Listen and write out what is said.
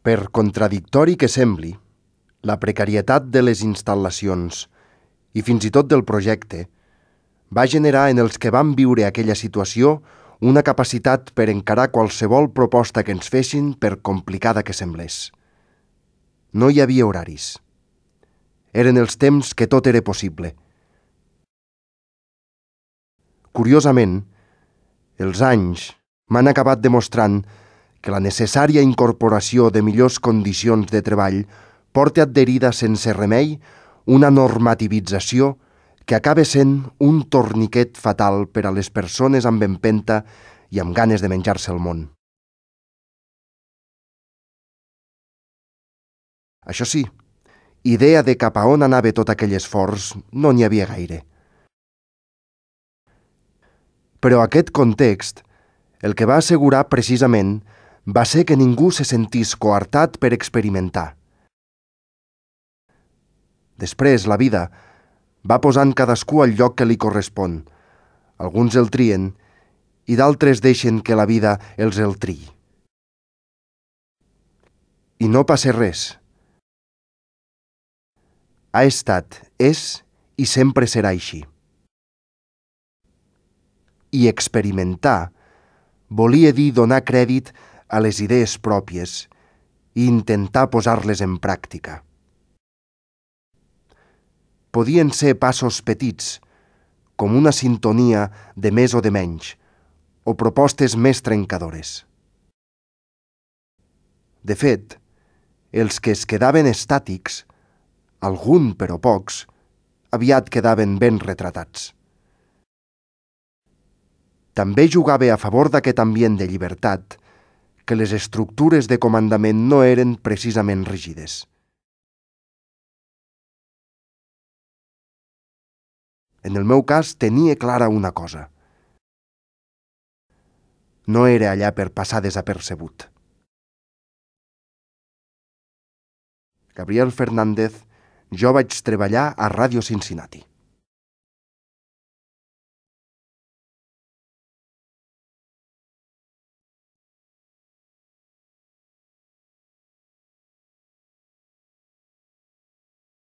Per contradictori que sembli, la precarietat de les instal·lacions i fins i tot del projecte va generar en els que van viure aquella situació una capacitat per encarar qualsevol proposta que ens fessin, per complicada que semblés. No hi havia horaris. Eren els temps que tot era possible. Curiosament, els anys m'han acabat demostrant que la necessària incorporació de millors condicions de treball porta adherida sense remei una normativització que acaba sent un torniquet fatal per a les persones amb empenta i amb ganes de menjar-se el món. Això sí, idea de cap a on anava tot aquell esforç no n'hi havia gaire. Però aquest context, el que va assegurar precisament, va ser que ningú se sentís coartat per experimentar. Després, la vida va posant cadascú al lloc que li correspon. Alguns el trien i d'altres deixen que la vida els el triï. I no passa res. Ha estat, és i sempre serà així. I experimentar volia dir donar crèdit a les idees pròpies i intentar posar-les en pràctica. Podien ser passos petits, com una sintonia de més o de menys, o propostes més trencadores. De fet, els que es quedaven estàtics, algun però pocs, aviat quedaven ben retratats. També jugava a favor d'aquest ambient de llibertat que les estructures de comandament no eren precisament rígides. En el meu cas tenia clara una cosa. No era allà per passar desapercebut. Gabriel Fernández, jo vaig treballar a Ràdio Cincinnati.